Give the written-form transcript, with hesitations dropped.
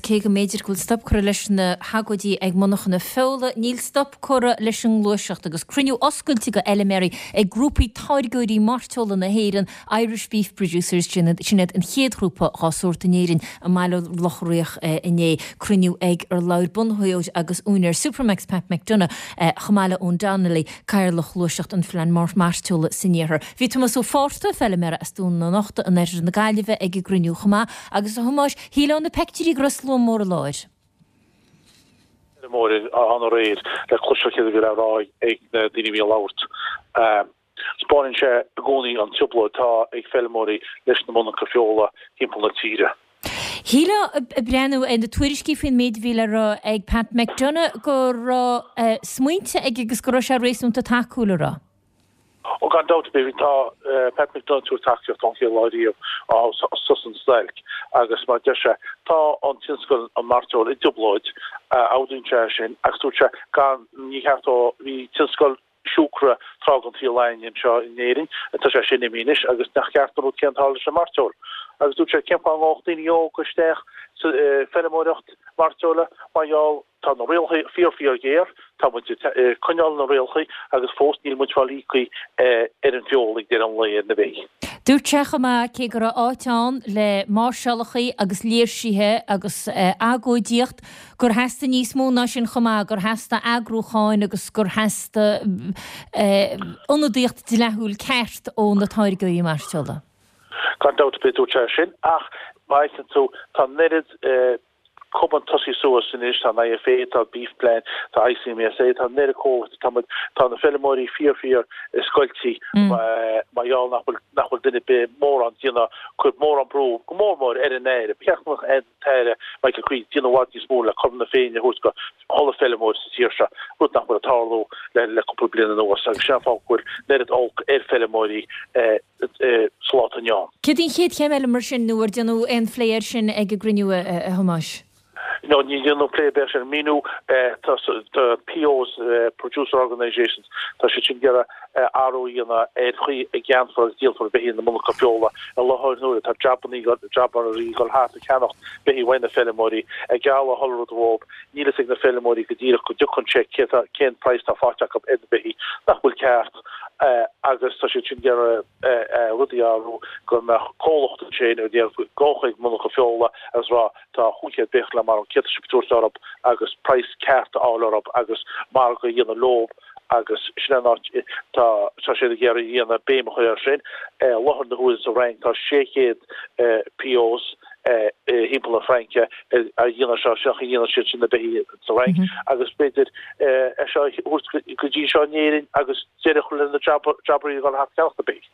cé go mb'fhéidir go bhfuil stop curtha leis na hagóidí ag monarchana feola, níl stop curtha leis an ngluaiseacht agus cruinniú oscailte go fheilméaraí ag grúpaí táirgeoirí mairteola na hÉireann, Irish Beef Producers, sin iad an chéad ghrúpa dhá sórt in Éirinn, i mBaile Locha Riach inné. Cruinniú ag ar labhair bunaitheoir agus úinéir Supermac's Pat McDonagh chomh maith le Eoin Donnelly, Cathaoirleach Ghluaiseacht an Phlean Mairteola san Iarthar. Bhí Tomás Ó Fátharta, feilméara as Dún na Nochta in oirthear na Gaillimhe ag an gcruinniú chomh maith agus a Thomáis, shílfeá ó na peictiúirí go raibh slua mór i láthair. Feilméaraí ann aréir le cloisteáil céard a bhí le rá ag na daoine a bhí ag labhairt. Spáineann sé i gcónaí an trioblóid atá ag feilméaraí leis na monarcha feola timpeall na tíre. Shílfeá ag breathnú ar na tuairiscí faoin méid a bhí le rá ag Pat McDonagh go raibh smaointe aige agus go raibh sé réasúnta tacúil, an raibh? Ó gan dabht ar bith, tá Pat McDonagh ag tabhairt tacaíocht ón chéad lá riamh ó thosaigh an stailc agus mar a deir sé, tá an tionscal an mairteoil i dtrioblóid, admhaíonn sé sin agus dúirt sé gan, ní ceart ó bhí tionscal siúcra tráth den tsaol againn anseo in Éirinn, tá sé sin imithe anois agus nach ceart an rud céanna tarlú leis an mairteoil. Agus dúirt sé cén fáth a ngabhfadh daoine óga isteach sa feilméaracht mairteola mar gheall tá na rialacha fíor fíor ghéar, tá muid ag coinneáil na rialacha agus fós níl muid fáil íoctha ar an bhfeoil ag deireadh an lae ar na beithígh. Dúirt sé chomh maith cé go raibh áit ann le máirseálacha agus léirsithe agus agóidíocht, gur theastaigh níos mó ná sin chomh maith, gur theastaigh eagrúcháin agus gur theastaigh ionadaíocht dleathúil ceart ó na táirgeoirí mairteola. Gan dabht ar bith dúirt sé sin ach má fheiceann tú tá an oiread cumann tosaithe suas anois, tá an IFA, tá Beef Plan, tá ICMSA, tá an oiread comhlachtaí, tá muid, tá na feilméaraí fíor fíor scoiltí mar gheall nach bhfuil, nach bhfuil duine ar bith mórán déanamh, cur mórán brú, go mór mór ar an Aire. Ba cheart go mbeadh an tAire Michael Creed déanamh i bhfad níos mó le cothrom na Féinne a thabhairt go chuile feilméar sa tír seo, rud nach bhfuil ag tarlú le cúpla bliain anuas agus sin an fáth go bhfuil an oiread olc ar feilméaraí sa lá atá inniu ann. Céard í an chéad chéim eile mar sin nó ar déanadh aon phlé air sin ag an gcruinniú, a Thomáis? No, ní dhéanadh plé ar bith air sin. Míniú, tá POs, Producer Organisations, tá siad sin ag iarraidh athrú a dhéanamh ar chaoi a gceannfar agus díolfar beithígh na monarcha feola. I láthair na huaire tá jobbannaí, jobbairí ag dul thart ag ceannacht beithígh uaidh na feilméaraí, ag gealladh chuile rud dhóibh. Níl fhios ag na feilméaraí go díreach go dtiocfaidh an cheque cé tá, cén praghas atá faighte acu ar na beithígh, nach bhfuil ceart agus tá siad sin ag iarraidh rudaí a athrú go mbeadh comhlacht ansin a dhéanfadh dul chuig monarcha feola agus rá tá 500 beithíoch le marú, céard tá sibh ag tabhairt orthu agus praghas ceart a fháil orthu agus margadh a dhéanamh leo agus sin an áit tá tá siad ag iarraidh a dhéanamh béim a chur air sin. I láthair na huaire sa Fhrainc tá 600 POs thimpeall na Fraince a dhéanamh seo, seo a dhéanann siad sin na beithígh sa Fhrainc agus b'fhéidir é seo a thabhairt go dtí seo in Éirinn agus deireadh a chur le na jobbairí ag dul thart ag ceannacht na beithígh.